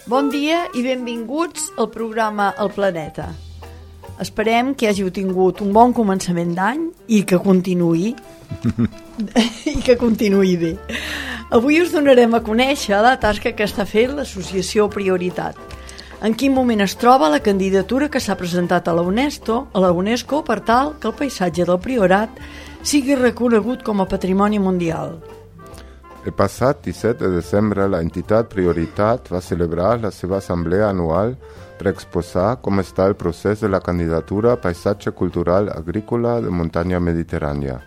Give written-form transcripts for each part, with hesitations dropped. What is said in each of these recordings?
Bon dia i benvinguts al programa El Planeta. Esperem que hàgiu tingut un bon començament d'any i que continuï bé. Avui us donarem a conèixer la tasca que està fent l'associació Prioritat. En quin moment es troba la candidatura que s'ha presentat a la UNESCO per tal que el paisatge del Priorat sigui reconegut com a patrimoni mundial. El passat 17 de desembre, la entitat Prioritat va celebrar la seva assemblea anual per exposar com està el procés de la candidatura a Paisatge Cultural Agrícola de Muntanya Mediterrània,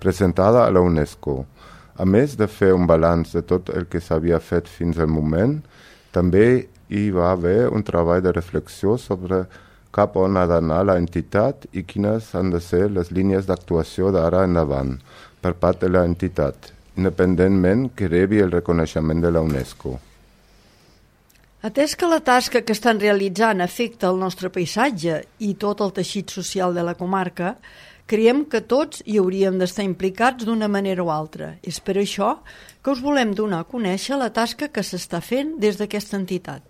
presentada a la UNESCO. A més de fer un balanç de tot el que s'havia fet fins al moment, també hi va haver un treball de reflexió sobre cap on ha d'anar la entitat i quines han de ser les línies d'actuació d'ara endavant per part de la entitat, independentment que rebi el reconeixement de la UNESCO. Atès que la tasca que estan realitzant afecta el nostre paisatge i tot el teixit social de la comarca, creiem que tots hi hauríem d'estar implicats d'una manera o altra. És per això que us volem donar a conèixer la tasca que s'està fent des d'aquesta entitat.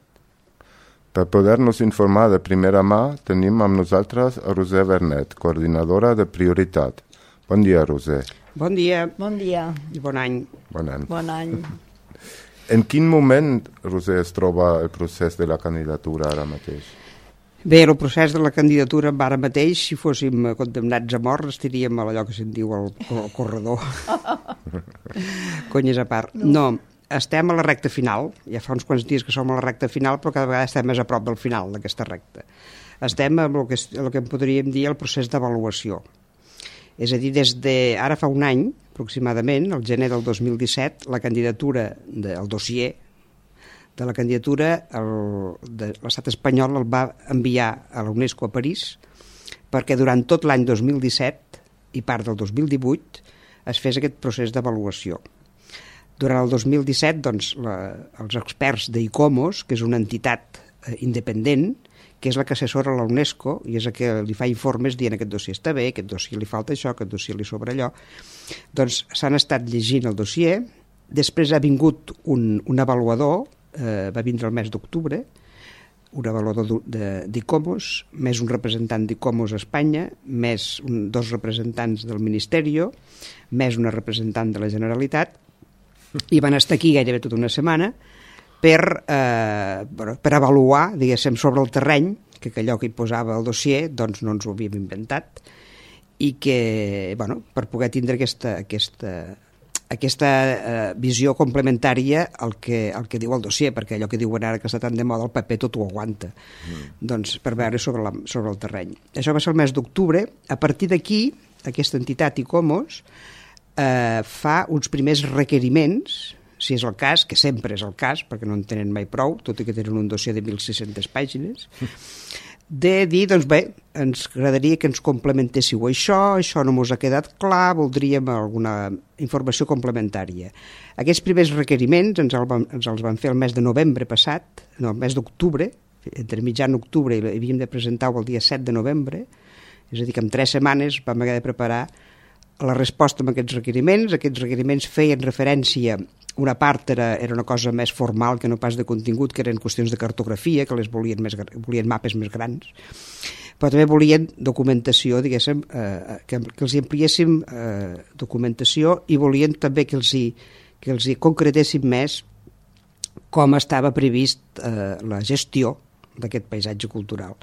Per poder-nos informar de primera mà, tenim amb nosaltres a Roser Bernet, coordinadora de Prioritat. Bon dia, Roser. Bon dia. Bon dia. I bon any. Bon any. Bon any. En quin moment, Roser, es troba el procés de la candidatura ara mateix? Bé, el procés de la candidatura ara mateix, si fóssim condemnats a mort, estaríem a allò que se'n diu el corredor. Conyes a part. No, estem a la recta final. Ja fa uns quants dies que som a la recta final, però cada vegada estem més a prop del final d'aquesta recta. Estem amb el que en podríem dir el procés d'avaluació. És a dir, des d'ara fa un any, aproximadament, el gener del 2017, la candidatura del dossier de la candidatura de l'estat espanyol el va enviar a la UNESCO a París perquè durant tot l'any 2017 i part del 2018 es fes aquest procés d'avaluació. Durant el 2017, doncs, els experts d'ICOMOS, que és una entitat independent, que és la que assessora la UNESCO i és la que li fa informes dient aquest dossier està bé, aquest dossier li falta això, aquest dossier li sobra allò, doncs s'han estat llegint el dossier. Després ha vingut un avaluador, va vindre el mes d'octubre, un avaluador d'ICOMOS, més un representant d'ICOMOS a Espanya, més dos representants del Ministeri, més una representant de la Generalitat, i van estar aquí gairebé tota una setmana per avaluar, diguéssim, sobre el terreny, que allò que hi posava el dossier doncs no ens ho havíem inventat, i que, per poder tindre aquesta visió complementària al que diu el dossier, perquè allò que diuen ara que està tan de moda, el paper tot ho aguanta, doncs per veure sobre el terreny. Això va ser el mes d'octubre. A partir d'aquí, aquesta entitat ICOMOS fa uns primers requeriments, si és el cas, que sempre és el cas, perquè no en tenen mai prou, tot i que tenen un dossier de 1.600 pàgines, de dir, doncs bé, ens agradaria que ens complementéssiu això no mos ha quedat clar, voldríem alguna informació complementària. Aquests primers requeriments ens els van fer el mes de novembre passat, no, el mes d'octubre, entre mitjan octubre i havíem de presentar-ho el dia 7 de novembre, és a dir, que en 3 setmanes vam haver de preparar la resposta a aquests requeriments. Aquests requeriments feien referència, una part era una cosa més formal que no pas de contingut, que eren qüestions de cartografia, que les volien mapes més grans, però també volien documentació, diguéssim, que els ampliéssim documentació, i volien també que els hi concretéssim més com estava previst la gestió d'aquest paisatge cultural.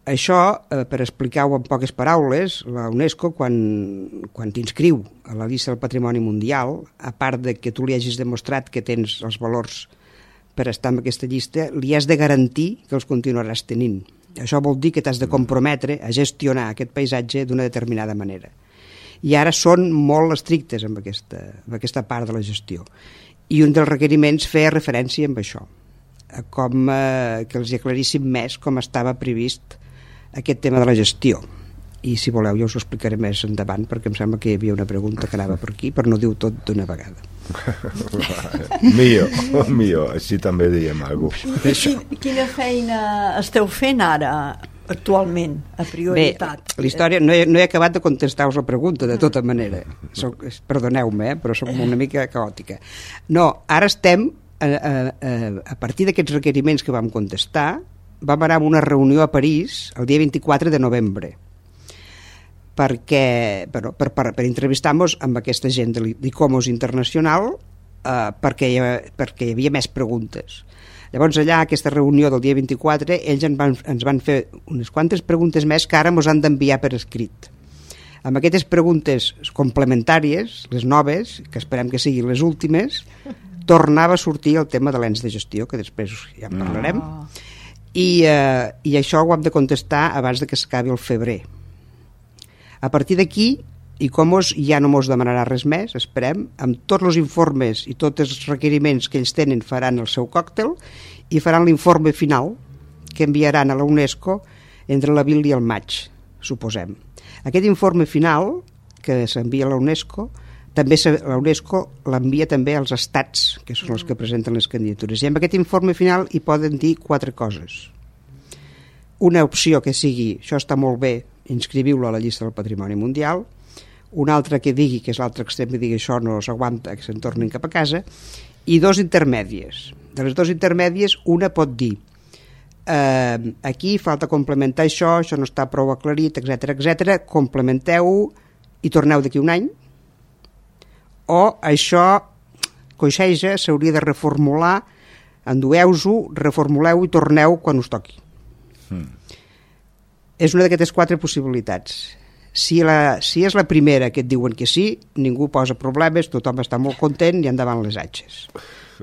Això, per explicar-ho en poques paraules, la UNESCO, quan t'inscriu a la llista del Patrimoni Mundial, a part de que tu li hagis demostrat que tens els valors per estar en aquesta llista, li has de garantir que els continuaràs tenint. Això vol dir que t'has de comprometre a gestionar aquest paisatge d'una determinada manera. I ara són molt estrictes amb aquesta part de la gestió. I un dels requeriments feia referència amb això, com que els aclaríssim més com estava previst aquest tema de la gestió. I si voleu jo us ho explicaré més endavant, perquè em sembla que hi havia una pregunta que anava per aquí, però no diu tot d'una vegada. Millor, així també diem alguna cosa. Quina feina esteu fent ara, actualment, a Prioritat? Bé, la història, no he acabat de contestar-vos la pregunta, de tota manera. Perdoneu-me, però soc una mica caòtica. No, ara estem a partir d'aquests requeriments que vam contestar, vam anar a una reunió a París el dia 24 de novembre perquè, per entrevistar-nos amb aquesta gent de l'ICOMOS Internacional, perquè hi havia més preguntes. Llavors allà, a aquesta reunió del dia 24, ells ens van fer unes quantes preguntes més que ara ens han d'enviar per escrit. Amb aquestes preguntes complementàries, les noves, que esperem que siguin les últimes, tornava a sortir el tema de l'ens de gestió, que després ja en parlarem, i això ho hem de contestar abans de que s'acabi el febrer. A partir d'aquí, ICOMOS ja no mos demanarà res més, esperem, amb tots els informes i tots els requeriments que ells tenen faran el seu còctel i faran l'informe final que enviaran a la UNESCO entre l'abril i el maig, suposem. Aquest informe final que s'envia a la UNESCO, també la UNESCO l'envia també als estats, que són els que presenten les candidatures. I amb aquest informe final hi poden dir 4 coses. Una opció que sigui, això està molt bé, inscriviu-lo a la llista del Patrimoni Mundial, un altre que digui, que és l'altre extrem, que digui això no s'aguanta, que se'n tornin cap a casa, i 2 intermèdies. De les 2 intermèdies, una pot dir aquí falta complementar això no està prou aclarit, etc. Complementeu-ho i torneu d'aquí un any, o això coixeja, s'hauria de reformular, endueu-ho, reformuleu i torneu quan us toqui. És una d'aquestes 4 possibilitats. Si és la primera que et diuen que sí, ningú posa problemes, tothom està molt content i endavant les atxes.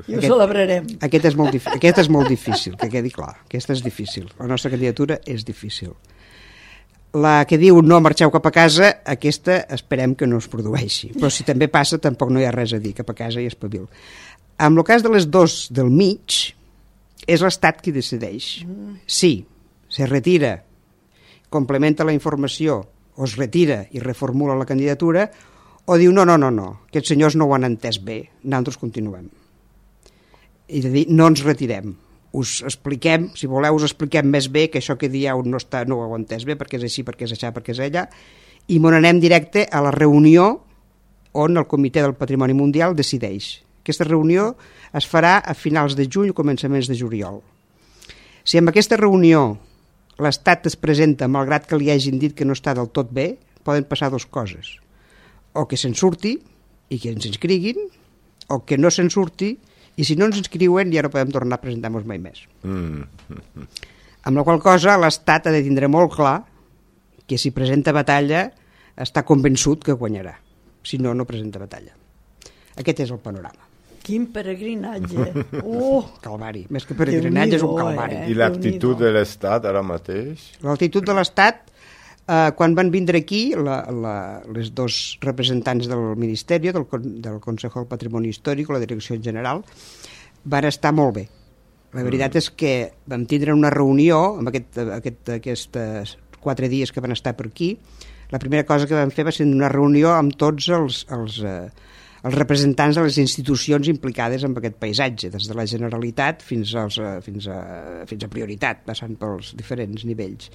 I ho celebrarem. Aquest és molt difícil, que quedi clar. Aquesta és difícil. La nostra candidatura és difícil. La que diu no marxeu cap a casa, aquesta esperem que no es produeixi. Però si també passa, tampoc no hi ha res a dir, cap a casa i espavil. En el cas de les 2 del mig, és l'Estat qui decideix. Sí, se retira, complementa la informació, o es retira i reformula la candidatura, o diu no, aquests senyors no ho han entès bé, nosaltres continuem. I de dir, no ens retirem, us expliquem, si voleu us expliquem més bé que això que dieu no ho heu entès bé, perquè és així, perquè és això, perquè és allà, i me n'anem directe a la reunió on el Comitè del Patrimoni Mundial decideix. Aquesta reunió es farà a finals de juny o començaments de juliol. Si amb aquesta reunió l'Estat es presenta, malgrat que li hagin dit que no està del tot bé, poden passar 2 coses. O que se'n surti i que ens inscriguin, o que no se'n surti, i si no ens inscriuen ja no podem tornar a presentar-nos mai més. Amb la qual cosa l'Estat ha de tindre molt clar que si presenta batalla està convençut que guanyarà. Si no, no presenta batalla. Aquest és el panorama. Quin peregrinatge. Calvari. Més que peregrinatge és un calvari. I l'actitud de l'Estat ara mateix? L'actitud de l'Estat, quan van vindre aquí les 2 representants del Ministeri, del Consejo del Patrimoni Històric, la Direcció General, van estar molt bé. La veritat és que vam tindre una reunió amb aquests 4 dies que van estar per aquí. La primera cosa que vam fer va ser una reunió amb tots els representants de les institucions implicades en aquest paisatge, des de la Generalitat fins a Prioritat, passant pels diferents nivells.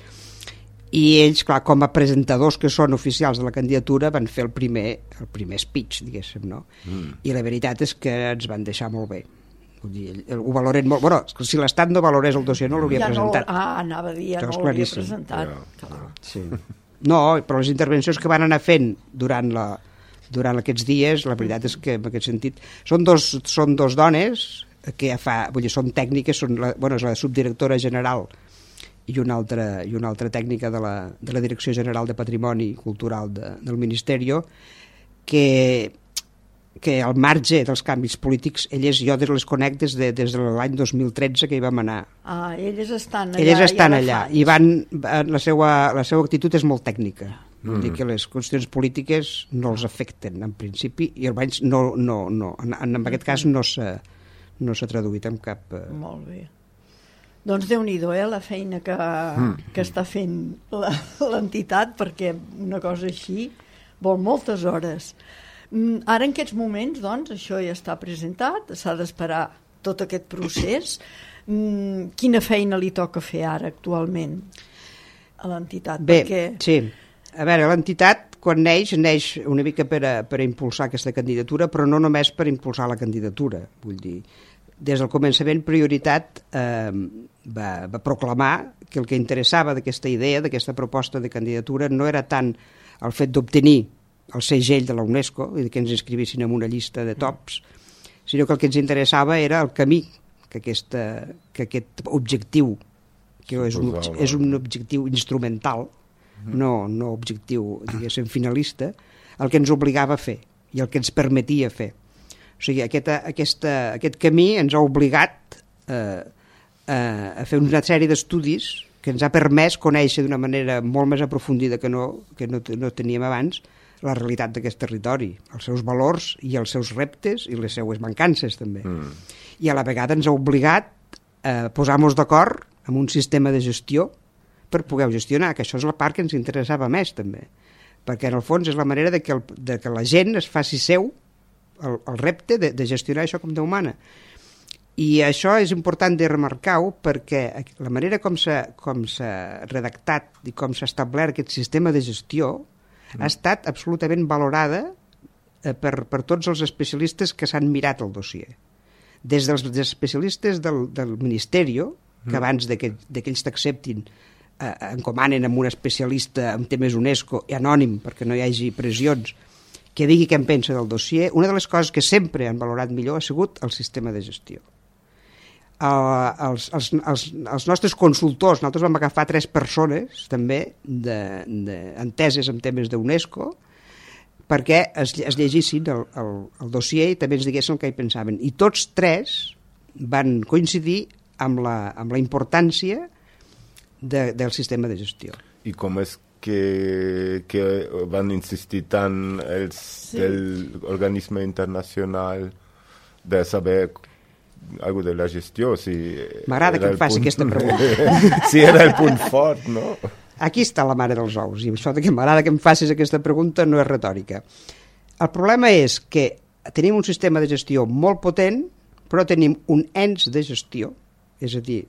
I ells, clar, com a presentadors que són oficials de la candidatura, van fer el primer speech, diguéssim, no? I la veritat és que ens van deixar molt bé. Vull dir, ho valoren molt. Bueno, si l'Estat no valorés el dossier no l'hauria presentat. Anava a dir, ja no l'hauria presentat. Sí. No, però les intervencions que van anar fent durant aquests dies, la veritat és que en aquest sentit són dos dones que ja vull dir, són tècniques, és la subdirectora general i una altra tècnica de la Direcció General de Patrimoni Cultural del Ministeri, que al marge dels canvis polítics, jo les conec des de l'any 2013 que hi vam anar. Elles estan allà. Elles estan allà i la seva actitud és molt tècnica. Vull dir que les qüestions polítiques no els afecten en principi i almenys en aquest cas no s'ha traduït en cap... Molt bé. Doncs Déu-n'hi-do, la feina que està fent l'entitat, perquè una cosa així vol moltes hores. Ara en aquests moments, doncs, això ja està presentat, s'ha d'esperar tot aquest procés. Quina feina li toca fer ara actualment a l'entitat? Bé, sí. A veure, l'entitat, quan neix una mica per a impulsar aquesta candidatura, però no només per impulsar la candidatura. Vull dir, des del començament Prioritat va proclamar que el que interessava d'aquesta idea, d'aquesta proposta de candidatura, no era tant el fet d'obtenir el segell de la UNESCO i que ens inscrivissin en una llista de tops, sinó que el que ens interessava era el camí que aquest objectiu, que és un objectiu instrumental, no objectiu, diguéssim, finalista, el que ens obligava a fer i el que ens permetia fer. O sigui, aquest camí ens ha obligat a fer una sèrie d'estudis que ens ha permès conèixer d'una manera molt més aprofundida que no teníem abans la realitat d'aquest territori, els seus valors i els seus reptes i les seues mancances també. I a la vegada ens ha obligat a posar-nos d'acord amb un sistema de gestió per poder gestionar, que això és la part que ens interessava més també, perquè en el fons és la manera de que la gent es faci seu el repte de gestionar això com d'humana. I això és important de remarcar-ho perquè la manera com s'ha redactat i com s'ha establert aquest sistema de gestió ha estat absolutament valorada per tots els especialistes que s'han mirat el dossier. Des dels especialistes del Ministeri, que abans que ells t'acceptin encomanen amb un especialista en temes UNESCO i anònim perquè no hi hagi pressions, que digui què en pensa del dossier, una de les coses que sempre han valorat millor ha sigut el sistema de gestió. Els nostres consultors, nosaltres vam agafar 3 persones també enteses en temes d'UNESCO perquè es llegissin el dossier i també ens diguessin el que hi pensaven. I tots 3 van coincidir amb la importància del sistema de gestió. I com és que van insistir tant del organisme internacional de saber algo de la gestió? M'agrada que em faci aquesta pregunta. Si era el punt fort, no? Aquí està la mare dels ous, i això que m'agrada que em facis aquesta pregunta no és retòrica. El problema és que tenim un sistema de gestió molt potent, però tenim un ens de gestió, és a dir,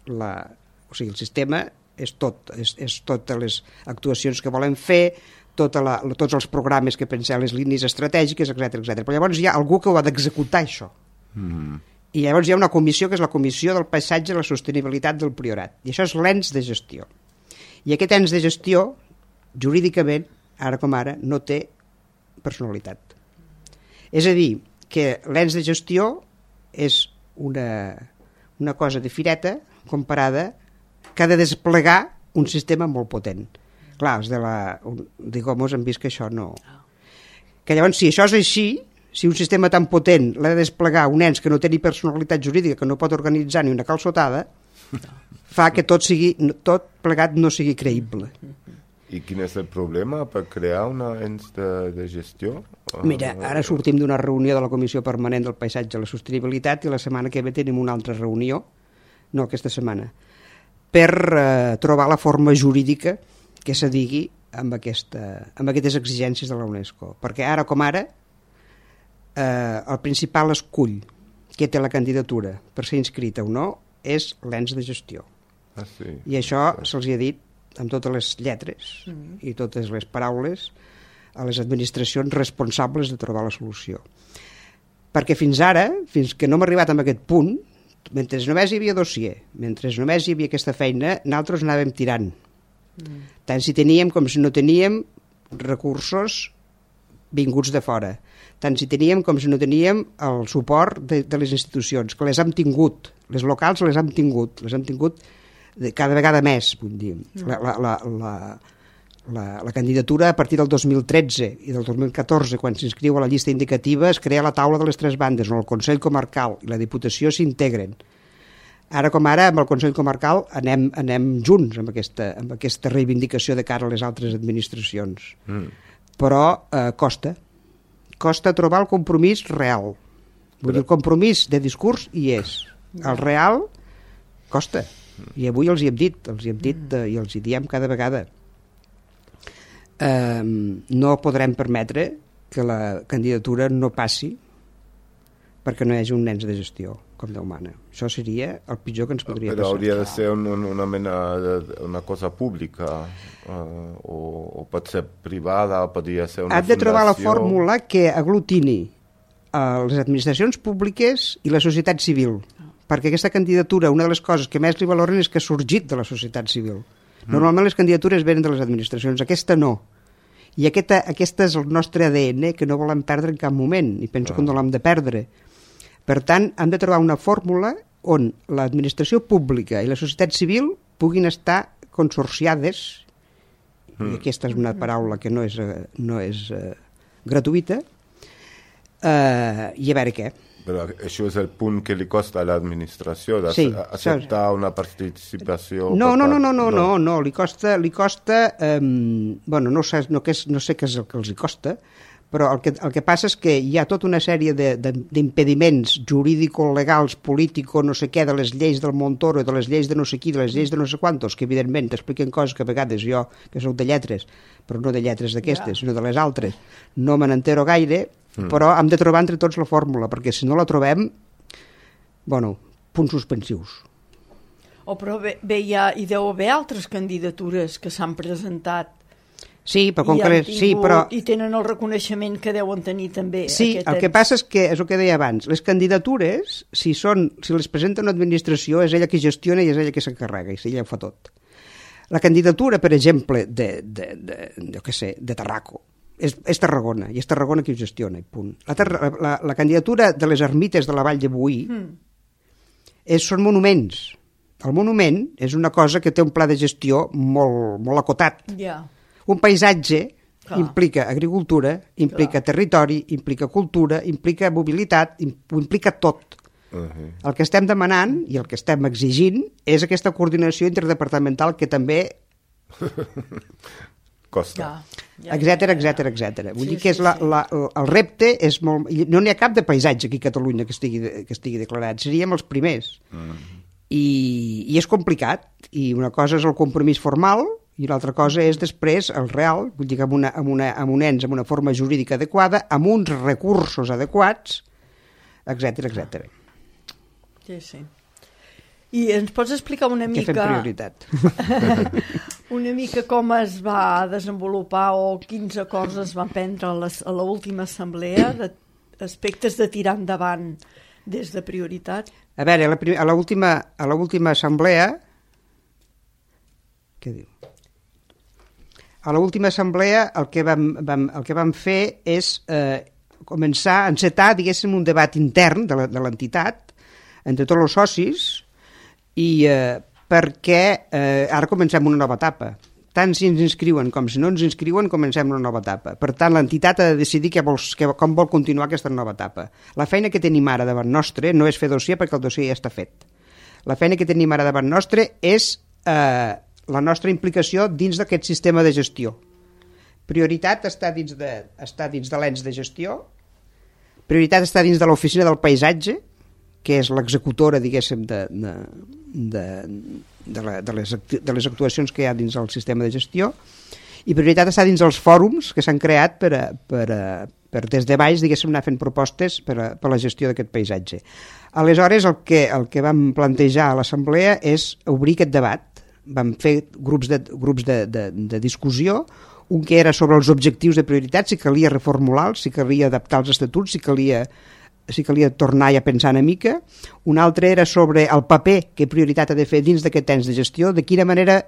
el sistema és totes les actuacions que volem fer, tots els programes que pensem, les línies estratègiques, etc. Però llavors hi ha algú que ho ha d'executar, això. I llavors hi ha una comissió, que és la Comissió del Paisatge i la Sostenibilitat del Priorat. I això és l'ens de gestió. I aquest ens de gestió, jurídicament, ara com ara, no té personalitat. És a dir, que l'ens de gestió és una cosa de fireta comparada que ha de desplegar un sistema molt potent. Clar, els de Gomos han vist que això no... Que llavors, si això és així, si un sistema tan potent l'ha de desplegar un ens que no té ni personalitat jurídica, que no pot organitzar ni una calçotada, fa que tot plegat no sigui creïble. I quin és el problema per crear una ens de gestió? Mira, ara sortim d'una reunió de la Comissió Permanent del Paisatge i la Sostenibilitat i la setmana que ve tenim una altra reunió, no aquesta setmana, per trobar la forma jurídica que s'adigui amb aquestes exigències de la UNESCO. Perquè ara com ara el principal escull que té la candidatura per ser inscrita o no és l'ens de gestió. Sí. I això se'ls ha dit amb totes les lletres i totes les paraules a les administracions responsables de trobar la solució. Perquè fins ara, fins que no hem arribat a aquest punt, mentre només hi havia dossier, mentre només hi havia aquesta feina, nosaltres anàvem tirant. Tant si teníem com si no teníem recursos vinguts de fora. Tant si teníem com si no teníem el suport de les institucions, que les hem tingut, les locals les hem tingut cada vegada més, vull dir. La candidatura a partir del 2013 i del 2014, quan s'inscriu a la llista indicativa, es crea la taula de les 3 bandes, on el Consell Comarcal i la Diputació s'integren. Ara com ara, amb el Consell Comarcal anem junts amb aquesta reivindicació de cara a les altres administracions. Però costa trobar el compromís real. Vull dir, el compromís de discurs hi és. El real costa. I avui els hi hem dit i els hi diem cada vegada. No podrem permetre que la candidatura no passi perquè no hi hagi un ens de gestió com Déu mana. Això seria el pitjor que ens podria passar. Però hauria de ser una cosa pública o pot ser privada, podria ser una fundació. Has de trobar la fórmula que aglutini les administracions públiques i la societat civil, perquè aquesta candidatura, una de les coses que més li valoren és que ha sorgit de la societat civil. Normalment les candidatures venen de les administracions, aquesta no. I aquest és el nostre ADN que no volem perdre en cap moment, i penso que no l'hem de perdre. Per tant, hem de trobar una fórmula on l'administració pública i la societat civil puguin estar consorciades, i aquesta és una paraula que no és gratuïta, i a veure què. Però això és el punt que li costa a l'administració, d'acceptar una participació... No, li costa bueno, no sé què és el que els costa, però el que passa és que hi ha tota una sèrie d'impediments jurídico-legals, político, no sé què, de les lleis del Montoro, de les lleis de no sé qui, de les lleis de no sé quantos, que evidentment t'expliquen coses que a vegades jo, que soc de lletres, però no de lletres d'aquestes, sinó de les altres, no me n'entero gaire, però hem de trobar entre tots la fórmula, perquè si no la trobem, punts suspensius. Però bé, hi deu haver altres candidatures que s'han presentat. Sí, però i tenen el reconeixement que deuen tenir també. Sí, el que passa és que, és el que deia abans, les candidatures, si les presenta una administració, és ella qui gestiona i és ella qui s'encarrega, i ella ho fa tot. La candidatura, per exemple, de Tarraco, és Tarragona, i és Tarragona qui ho gestiona, i punt. La candidatura de les ermites de la Vall de Boí són monuments. El monument és una cosa que té un pla de gestió molt acotat. Un paisatge implica agricultura, implica territori, implica cultura, implica mobilitat, implica tot. El que estem demanant i el que estem exigint és aquesta coordinació interdepartamental que també... costa. Etcètera. Vull dir que el repte és molt... No n'hi ha cap de paisatge aquí a Catalunya que estigui declarat. Seríem els primers. I és complicat. I una cosa és el compromís formal i l'altra cosa és després el real, vull dir que amb un ens, amb una forma jurídica adequada, amb uns recursos adequats, etcètera. Sí. I ens pots explicar una mica... Què fem prioritat? Una mica com es va desenvolupar o quins acords es van prendre a l'última assemblea d'aspectes de tirar endavant des de prioritat? A veure, a l'última assemblea... Què diu? A l'última assemblea el que vam fer és començar a encetar, diguéssim, un debat intern de l'entitat entre tots els socis i perquè ara comencem una nova etapa. Tant si ens inscriuen com si no ens inscriuen, comencem una nova etapa. Per tant, l'entitat ha de decidir com vol continuar aquesta nova etapa. La feina que tenim ara davant nostre no és fer dossier perquè el dossier ja està fet. La feina que tenim ara davant nostre és la nostra implicació dins d'aquest sistema de gestió. Prioritat està dins de l'ens de gestió, prioritat està dins de l'oficina del paisatge, que és l'executora, diguéssim, de les actuacions que hi ha dins del sistema de gestió, i prioritat està dins dels fòrums que s'han creat per des de baix, diguéssim, anar fent propostes per la gestió d'aquest paisatge. Aleshores, el que vam plantejar a l'assemblea és obrir aquest debat. Vam fer grups de discussió, un que era sobre els objectius de prioritat, si calia reformular-los, si calia adaptar els estatuts, si calia tornar a pensar una mica. Un altre era sobre el paper que prioritat ha de fer dins d'aquest ens de gestió, de quina manera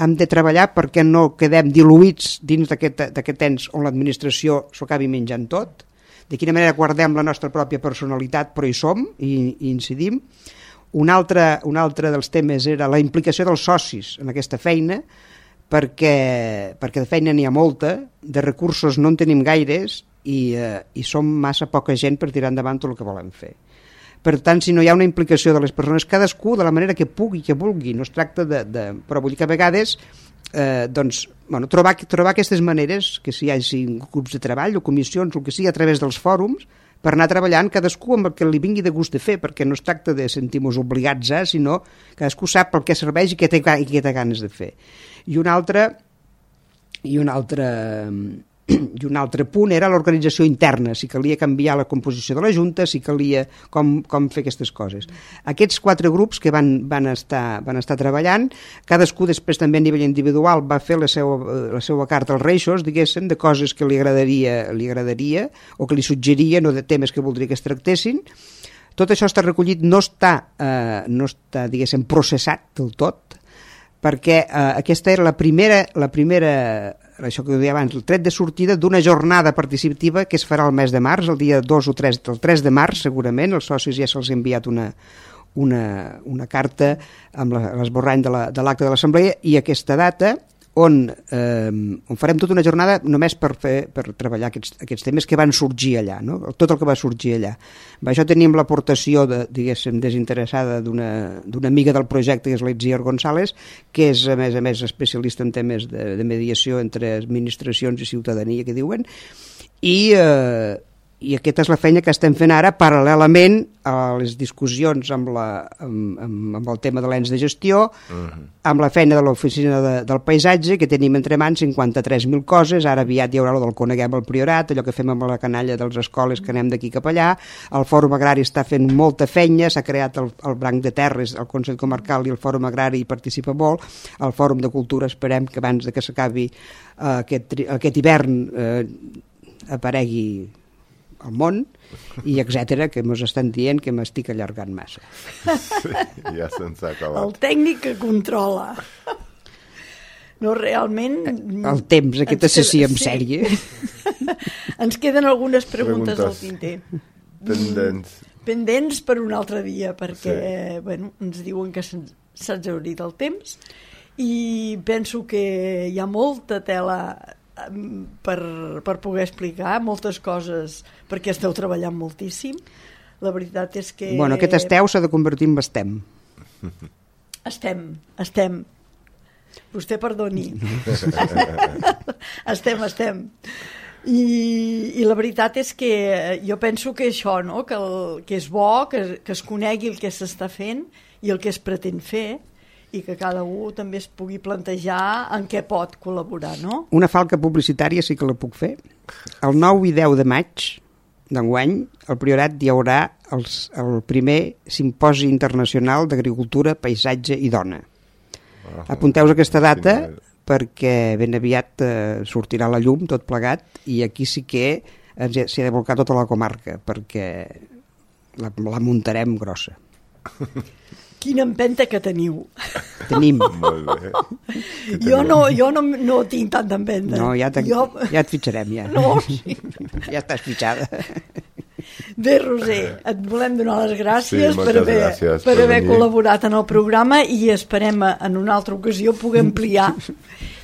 hem de treballar perquè no quedem diluïts dins d'aquest ens on l'administració s'ho acabi menjant tot, de quina manera guardem la nostra pròpia personalitat però hi som i incidim. Un altre dels temes era la implicació dels socis en aquesta feina, perquè de feina n'hi ha molta, de recursos no en tenim gaires i som massa poca gent per tirar endavant tot el que volem fer. Per tant, si no hi ha una implicació de les persones, cadascú de la manera que pugui, que vulgui, no es tracta però vull dir que a vegades trobar aquestes maneres, que si hi hagi grups de treball o comissions o el que sigui a través dels fòrums, per anar treballant cadascú amb el que li vingui de gust de fer, perquè no es tracta de sentir-nos obligats, sinó cadascú sap pel què serveix i què té ganes de fer. I un altre I un altre punt era l'organització interna, si calia canviar la composició de la Junta, si calia com fer aquestes coses. Aquests 4 grups que van estar treballant, cadascú després també a nivell individual va fer la seva carta als Reixos, diguéssim, de coses que li agradaria o que li suggeria, no de temes que voldria que es tractessin. Tot això està recollit, no està diguéssim, processat del tot, perquè aquesta era la primera, això que deia abans, el tret de sortida d'una jornada participativa que es farà el mes de març, el dia 2 o 3, el 3 de març segurament, els socis ja se'ls ha enviat una carta amb l'esborrany de l'acte de l'Assemblea, i aquesta data on farem tota una jornada només per treballar aquests temes que van sorgir allà, no? Tot el que va sorgir allà. Per això tenim l'aportació, diguéssim, desinteressada d'una amiga del projecte, que és l'Itziar González, que és, a més, especialista en temes de mediació entre administracions i ciutadania, que diuen, i aquesta és la feina que estem fent ara paral·lelament a les discussions amb el tema de l'ens de gestió, amb la feina de l'oficina del paisatge, que tenim entre mans 53.000 coses. Ara aviat hi haurà el del Coneguem al Priorat, allò que fem amb la canalla de les escoles, que anem d'aquí cap allà. El Fòrum Agrari està fent molta feina, s'ha creat el Branc de Terres, el Consell Comarcal, i el Fòrum Agrari hi participa molt. El Fòrum de Cultura esperem que abans que s'acabi aquest hivern aparegui al món, i etcètera, que mos estan dient que m'estic allargant massa. Sí, ja se'ns ha acabat. El tècnic que controla. No, realment... El temps, aquesta sessió en sèrie. Ens queden algunes preguntes al tinter. Pendents per un altre dia, perquè ens diuen que s'ha exhaurit el temps, i penso que hi ha molta tela per poder explicar moltes coses, perquè esteu treballant moltíssim. La veritat és que... Bueno, aquest esteu s'ha de convertir en estem. Estem. Vostè perdoni. Estem. I la veritat és que jo penso que això, no? Que és bo, que es conegui el que s'està fent i el que es pretén fer, i que cada un també es pugui plantejar en què pot col·laborar, no? Una falca publicitària sí que la puc fer. El 9 i 10 de maig d'enguany, al Priorat hi haurà el primer simposi internacional d'agricultura, paisatge i dona. Apunteu aquesta data perquè ben aviat sortirà a la llum tot plegat, i aquí sí que s'hi ha de volcar tota la comarca, perquè la muntarem grossa. Quina empenta que teniu. Tenim. Molt bé. Jo no tinc tanta empenta. No, ja et fitxarem, ja. No, sí. Ja estàs fitxada. Bé, Roser, et volem donar les gràcies gràcies per haver col·laborat en el programa, i esperem en una altra ocasió poder ampliar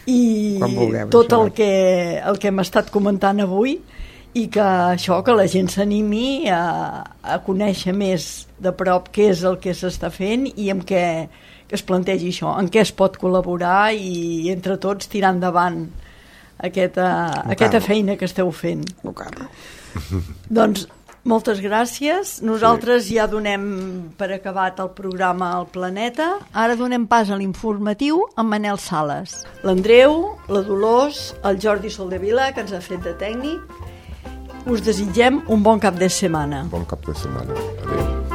i tot el que hem estat comentant avui, i que la gent s'animi a conèixer més de prop què és el que s'està fent i en què es plantegi això, en què es pot col·laborar, i entre tots tirar endavant aquesta feina que esteu fent. Doncs moltes gràcies. Nosaltres ja donem per acabat el programa El Planeta. Ara donem pas a l'informatiu amb Manel Sales. L'Andreu, la Dolors, el Jordi Soldevila, que ens ha fet de tècnic. Us desitgem un bon cap de setmana. Bon cap de setmana. Adéu.